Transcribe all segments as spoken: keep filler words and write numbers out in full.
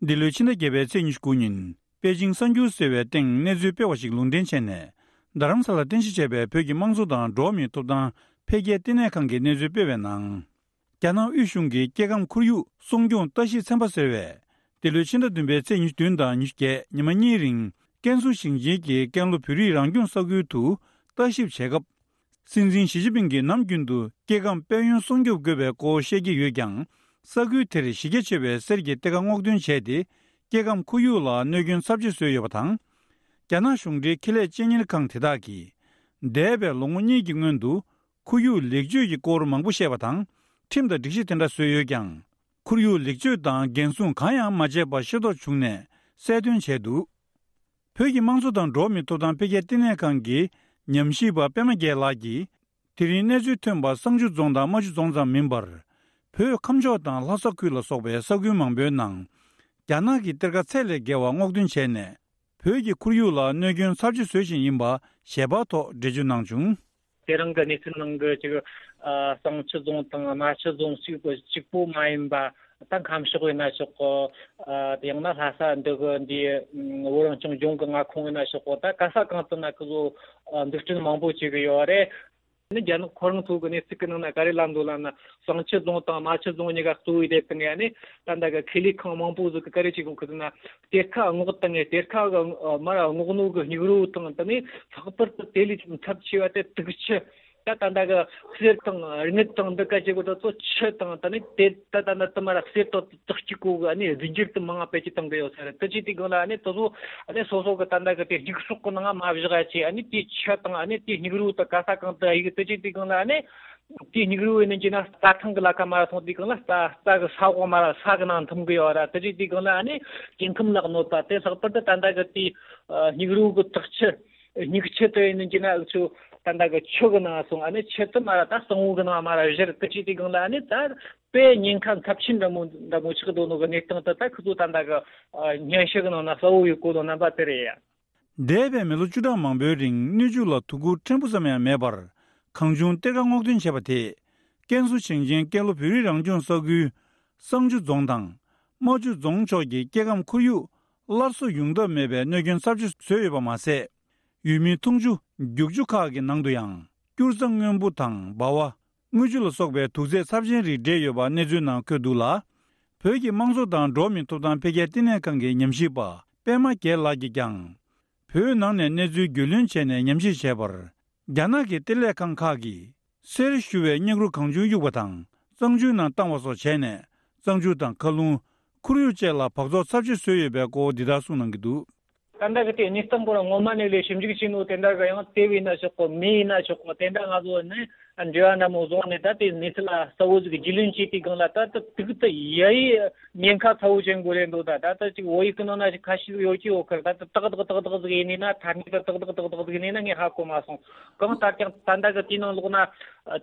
འདི་ལོའི་ཕྱི་ཟླ་བརྒྱད་པའི་ཚེས་ཉི་ཤུ་དགུ་ཉིན་པེ་ཅིང་གསར་འགྱུར་ཟེར་བའི་སྟེང་གནས་ཚུལ་སྤེལ་བ་ཞིག་ལུང་འདྲེན་བྱས་ནས། རྡ་རམ་ས་ལར་རྟེན་གཞི་བྱས་པའི་བོད་ཀྱི་དམངས་གཙོ་དང་འགྲོ་བ་མིའི་ཐོབ་ཐང་འཕེལ་རྒྱས་ལྟེ་གནས་ཁང་གིས་གནས་ཚུལ་སྤེལ་བའི་ནང་། རྒྱ་ནག་དབུས་གཞུང་གིས་སྐྱེ་ཁམས་ཁོར་ཡུག་སྲུང་སྐྱོང་ལྟ་ཞིབ་ཚན་པ་ཟེར་བས། འདི་ལོའི་ཕྱི་ཟླ་བདུན་པའི་ཚེས་ཉི་ཤུ་བདུན་དང་ཉི་ཤུ་བརྒྱད་ཉི་མ་གཉིས་རིང་ཀན་སུའུ་ཞིང་ཆེན་གྱི་ཀན་ལྷོ་བོད་རིགས་རང་སྐྱོང་ས་ཁུལ་དུ་ལྟ་ཞིབ་བྱེད་སྐབས། སྲིད་འཛིན་ཞི་ཅིན་ཕིང་གིས་ནམ་རྒྱུན་དུ་སྐྱེ་ཁམས་དཔལ་ཡོན་སྲུང་སྐྱོབ་དགོས་པའི་སྐོར་བཤད་ཀྱི་ཡོད་ཀྱང་། ས་ཁུལ་དེར་གཞི་རྒྱ་ཆེ་བའི་གསེར་གྱི་གཏེར་ཁ་སྔོག་འདོན་བྱས་ཏེ། སྐྱེ་ཁམས་ཁོར་ཡུག་ལ་གནོད་སྐྱོན་ཚབས་ཆེ་བཟོས་ཡོད་པ་དང་། རྒྱ་ནག་གཞུང་འབྲེལ་ཁེ་ལས་སྤྱི་གཉེར་ཁང་དེ་དག་གིས། འདས་པའི་ལོ་ངོ་གཉིས་ཀྱི་སྔོན་དུ། ཁོར་ཡུག་ལེགས་བཅོས་ཀྱི་སྐོར་མང་པོ་བཤད་པ་དང་། ཁྲིམས་དང་སྒྲིག་གཞི་དེ་འདྲ་བཟོས་ཡོད་ཀྱང་། ཁོར་ཡུག་ལེགས་བཅོས་དང་འགན་སྲུང་གང་ཡང་མ་བྱས་པ་ཤེས་རྟོགས་བྱུང་ནས་གསལ་སྟོན་བྱས་འདུག་བོད་ཀྱི་དམངས་གཙོ་དང་འགྲོ་བ་མིའི་ཐོབ་ཐང་འཕེལ་རྒྱས་ལྟེ་གནས་ཁང་གི་ཉམས་ཞིབ་པ་པད་མ་རྒྱལ་ལགས་ཀྱིས། དེ་རིང་གནས་ཚུལ་ཐོན་པ་བསང་ཆུ་རྫོང་དང་རྨ་ཆུ་རྫོང་ཙམ་མིན་པར། བོད་ཁམས་ཕྱོགས་དང་ལྷ་ས་ཁུལ་ལ་སོགས་པའི་ས་ཁུལ་མང་པོའི་ནང་། རྒྱ་ནག་གི་གཏེར་ཁ་ཚད་ལས་བརྒལ་བ་སྔོག་འདོན་བྱས་ནས། བོད་ཀྱི་ཁོར་ཡུག་ལ་གནོད་སྐྱོན་ཚབས་ཆེ་བཟོ་བཞིན་ཡིན་པ་ཞལ་པར་ཐོག་འགྲེལ་བརྗོད་གནང་བྱུང་། དེ་རིང་གི་གནས་ཚུལ་ནང་གི་ཅིག་ཨ་བསང་ཆུ་རྫོང་དང་རྨ་ཆུ་རྫོང་གཅིག་པོ་གཅིག་པོ་མ་ཡིན་པ། ད་ཁམས་ཕྱོགས་ཡིན་ན་ཆོག་གོ། ཨ་དེ་ཡང་ན་ལྷ་ས་འདི་གི་འདི་བོད་རང་སྐྱོང་ལྗོངས་ཀྱི་མངའ་ཁོངས་ཡིན་ན་ཆོག་གོ། ད་ག་ས་གང་དུ་ན་ཁི་ཚོ་ཨ་འཛུགས་སྐྲུན་མང་པོ་བྱེད་གི་ཡོད་རེད། ནི་རྒྱ་ནག་ཁོ་རང་ཚོ་གི་གནས་ཚུལ་གི་ནང་ན་ག་རེ་ལབ་འདུག་ལབ་ན། བསང་ཆུ་རྫོང་དང་རྨ་ཆུ་རྫོང་གཉིས་ཀ་གཙོ་བོའི་དེབ་ཏུ་ནས་ནི་ད་ལྟ་གི་ཁེ་ལས་ཁང་མང་པོ་ཟིག་གི་ག་རེ་བྱེད་གོ་གི་འདུག་ན། གཏེར་ཁ་སྔོག་བཏང་ངས་གཏེར་ཁ་གི་མར་སྔོག་ནོ་གི་སྙིགས་རོ་དང་དེ་ནས་ལྷག་པར་དུ་དེ་ལས་ཀྱང་ཚབས་ཆེ་བ་དེ་དུག་ཆུ། ད་ད་ལྟ་གི་གསེར་དང་དངུལ་དང་འདི་ག་བྱེད་གོ་ད་ཚོ་ཆུ་དང་ད་ནི་དེ་ད་ད་ད་དུ་མར་གསེར་དང་དག་གཅིག་གོ་གི་ཨ་ནི་རྫས་འགྱུར་དུ་མང་བ་སྤེལ་གྱི་བཏང་གི་ཡོད་ས་རེད། དེ་ཅི་དེ་གང་ལ་ཨ་ནི་དེ་ཚོ་ཨ་ནི་སོ་སོ་གི་ད་ལྟ་གི་དེ་སྙིགས་སོགས་གི་ནང་མ་བཞག་ཡ་ཆེ་ཨ་ནི་དེ་ཆུ་དང་ཨ་ནི་དེ་སྙིགས་རོ་དང་ག་ས་གང་དུ་ཨ་ཡིག་དེ་ཅི་དེ་གང་ལ་ཨ་ནི། དེའི་སྙིགས་རོ་ཡིན་ནི་ཅི་ན་རྩྭ་ཐང་གི་ལ་ཁ་མ་ར་སོང་དེ་གང་ལ་རྩྭ་རྩྭ་གི་ས་འོག་མ་ར་ས་གི་ནང་འཐིམ་གི་ཡོད་ར། དེ་ཅི་དེ་གང་ལ་ཨ་ནི་སྐྱེ་ཁམས་ལ་གནོད་པ་དེ་ལྷག་པར་དུ་ད་ལྟ་གི་དེའི་སྙིགས་རོ་གི་དག་ཆུ་སྙིགས་ཆུ་དེ་ཡིན་ནི་ཅི་ན་འུ་ཚོ་ད་ལྟ་གི་ཆུ་གི་ནང་སོང་ཨ་ནི་ཆུ་དེ་མ་ར་ད་གཙང་བོ་གི་ནང་མ་ར་བཞུར། དེ་ཅི་དེ་གང་ལ་ཨ་ནི་ད་དཔེ་ཉེན་ཁ་ཚབས་ཆེན་འདྲ་མོ་འདྲ་མོ་ཆགས་འདུག་ནོ་གི་གནས་སྟངས་དེ་ད་ཁོ་ཚོ་ད་ལྟ་གི་སྙན་ཞུ་གི་ནང་ན་གསལ་བོ་ཡོད་གོ་ནོ་རྣམ་པ་དེ་རེད་ཡ། འདས་པའི་མི་ལོ་བཅུ་ཕྲག་མང་པོའི་རིང་སྣོད་བཅུད་ལ་ཐུགས་ཁུར་ཕྲན་བུ་ཙམ་ཡང་མེད་པར། གང་བྱུང་གཏེར་ཁ་སྔོག་འདོན་བྱས་པ་དེས། ཀན་སུའུ་ཞིང་ཆེན་ཀན་ལྷོ་བོད་རིགས་རང་སྐྱོང་ས་ཁུལ་བསང་ཆུ་རྫོང་དང་རྨ་ཆུ་རྫོང་ཕྱོགས་ཀྱི་སྐྱེ་ཁམས་ཁོར་ཡུག་སླར་གསོ་ཡོང་ཐབས་མེད་པའི་གནོད་སྐྱོན་ཚབས་ཆེ་བཟོས་ཡོད་པ་མ་ཟད། ཡུལ་མིའི་འཐུང་ཆུ་རྒྱུག་ཆུ་ཁག་གི་ནང་དུ་ཡང་སྐྱུར་རྩྭ་སྔོན་པོ་དང་སྦ་བ། དངུལ་ཆུ་ལ་སོགས་པའི་དུག་རྫས་ཚབས་ཆེན་རིགས་འདྲེས་ཡོད་པ་གནས་ཚུལ་ནང་འཁོད་འདུག་ལ། བོད་ཀྱི་དམངས་གཙོ་དང་འགྲོ་བ་མིའི་ཐོབ་ཐང་འཕེལ་རྒྱས་ལྟེ་གནས་ཁང་གི་ཉམས་ཞིབ་པ་པད་མ་རྒྱལ་ལགས་ཀྱིས་ཀྱང་། བོད་ནང་ནས་གནས་ཚུལ་རྒྱུས་ལོན་བྱས་ནས་ཉམས་ཞིབ་བྱས་པར། རྒྱ་ནག་གི་གཏེར་ལས་ཁང་ཁག་གིས་གསེར་བཞུ་བའི་སྙིགས་རོ་གང་བྱུང་གཡུགས་པ་དང་གཙང་ཆུའི་ནང་བཏང་བ་སོགས་བྱས་ནས་གཙང་ཆུ་དང་མཁའ་རླུང་། ཁོར་ཡུག་བཅས་ལ་བག་ཚོགས་ཚབས་ཆེ་བཟོས་ཡོད་པའི་སྐོར་འདི་ལྟར་གསུངས་གནང་གི་འདུག། ད་ལྟ་གི་དེ་གནས་སྟངས་སྐོར་ངོ་མ་ནས་ལས་ཞིབ་འཇུག་བྱས་ནོ་དེ་འདྲ་གི་ཡང་དེ་བས་ན་ཆོག་གོ་མེ་ཡིན་ན་ཆོག་གོ་དེ་འདྲ་ང་ཚོ་ནི་འབྲེལ་བ་འདྲ་མོ་བཟུང་ནས་ད་དེ་གནས་ཚུལ་ལ་གསལ་བོ་ཟིག་རྒྱུས་ལོན་བྱས་དུས་སྒང་ལ་ད་ད་དུག་ད་ཡ་ཡི་ཉེན་ཁ་ཚ་བོ་ཅན་གོ་རེད་འདུག་ད་ད་ད་ཅིག་བོད་ཡིག་གི་ནང་ན་ཞིག་ཁ་ཤས་ཡོད་ཀྱི་ཡོད་ཁར་ད་ད་ཏག་ཏག་ཏག་ཏག་ཟིག་ཡིན་ནི་ན་ཐ་སྙད་ད་ཏག་ཏག་ཏག་ཏག་ཟིག་ཡིན་ནི་ན་ངས་ཧ་གོ་མ་སོང་། གང་ལྟར་ཀྱང་ད་ལྟ་གི་དེའི་ནང་ལོགས་ན་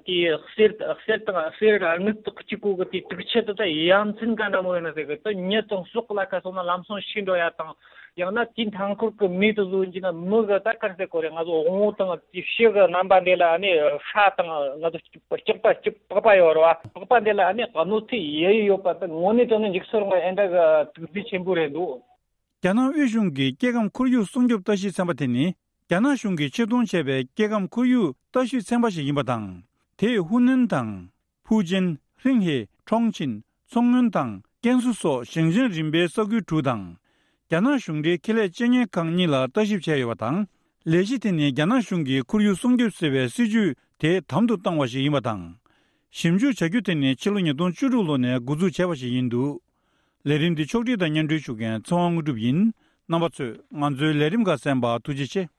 དེ་གསེར་གསེར་དང་གསེར་དངུལ་དག་གཅིག་གོ་གི་དེ་དུག་ཆུ་དེ་ད་ཡ་མཚན་ག་འདྲ་མོ་ཡོད་ན་ཟེར་གི་ད་མྱི་དང་སྲོག་ལ་ཁ་སོང་ན་ལམ་སང་ཤི་འགྲོ་ཡ་དང་། ཡང་ན་དེའི་མཐའ་འཁོར་གྱི་མི་དེ་ཚོ་ཡིན་ན་མི་གི་ད་ག་རེ་ཟེར་དགོས་རེད། ང་ཚོ་དབང་པོ་དང་དེ་ཕྱི་གི་རྣམ་པ་འདི་ལ་ནི་ཤ་དང་ང་ཚོ་སྐྱག་པ་སྐྱག་པགས་པ་ཡོད་རེད་བ། པགས་པ་འདི་ལ་ནི་གནོད་འཚེ་ཡ་ཡི་ཡོད་པ་ད་དངོས་གནས་དྲང་གནས་འཇིགས་སུ་རུང་བ་ཨེ་འདྲ་གི་དུག་རྫས་ཆེན་པོ་རེད་འདུག། རྒྱ་ནག་དབུས་གཞུང་གི་སྐྱེ་ཁམས་ཁོར་ཡུག་སྲུང་སྐྱོབ་ལྟ་ཞིབ་ཚན་པ་དེ་ནི་རྒྱ་ནག་གཞུང་གིས་ཆེད་གཏོང་བྱས་པའི་སྐྱེ་ཁམས་ཁོར་ཡུག་ལྟ་ཞིབ་ཚན་པ་ཞིག་ཡིན་པ་དང་། དེས་ཧུའུ་ནན་དང་། ཧྥུའུ་ཅན། ཧྲིན་ཧེ། ཁྲོང་ཆིན། མཚོ་སྔོན་དང་ཀན་སུའུ་སོགས་ཞིང་ཆེན་རིམ་པའི་ས་ཁུལ་དྲུག་དང་། རྒྱ་ནག་གཞུང་འབྲེལ་ཁེ་ལས་སྤྱི་གཉེར་ཁང་གཉིས་ལ་ལྟ་ཞིབ་བྱས་ཡོད་པ་དང་། ལས་གཞི་དེ་ནི་རྒྱ་ནག་གཞུང་གིས་ཁོར་ཡུག་སྲུང་སྐྱོབ་ཟེར་བའི་སྲིད་ཇུས་དེ་དམ་དུ་བཏང་བ་ཞིག་ཡིན་པ་དང་། ཞིབ་འཇུག་བྱ་རྒྱུ་དེ་ནི་ཕྱི་ལོ་ཉིས་སྟོང་བཅུ་དྲུག་ལོ་ནས་འགོ་འཛུགས་བྱས་པ་ཞིག་ཡིན་འདུག། ལས་རིམ་འདི་ཕྱོགས་སྒྲིག་དང་སྙན་སྒྲོན་ཞུ་མཁན་ཚེ་དབང་དངོས་གྲུབ་ཡིན། རྣམ་པ་ཚོས་ང་ཚོའི་ལས་རིམ་ཁག་གསན་པར་ཐུགས་རྗེ་ཆེ།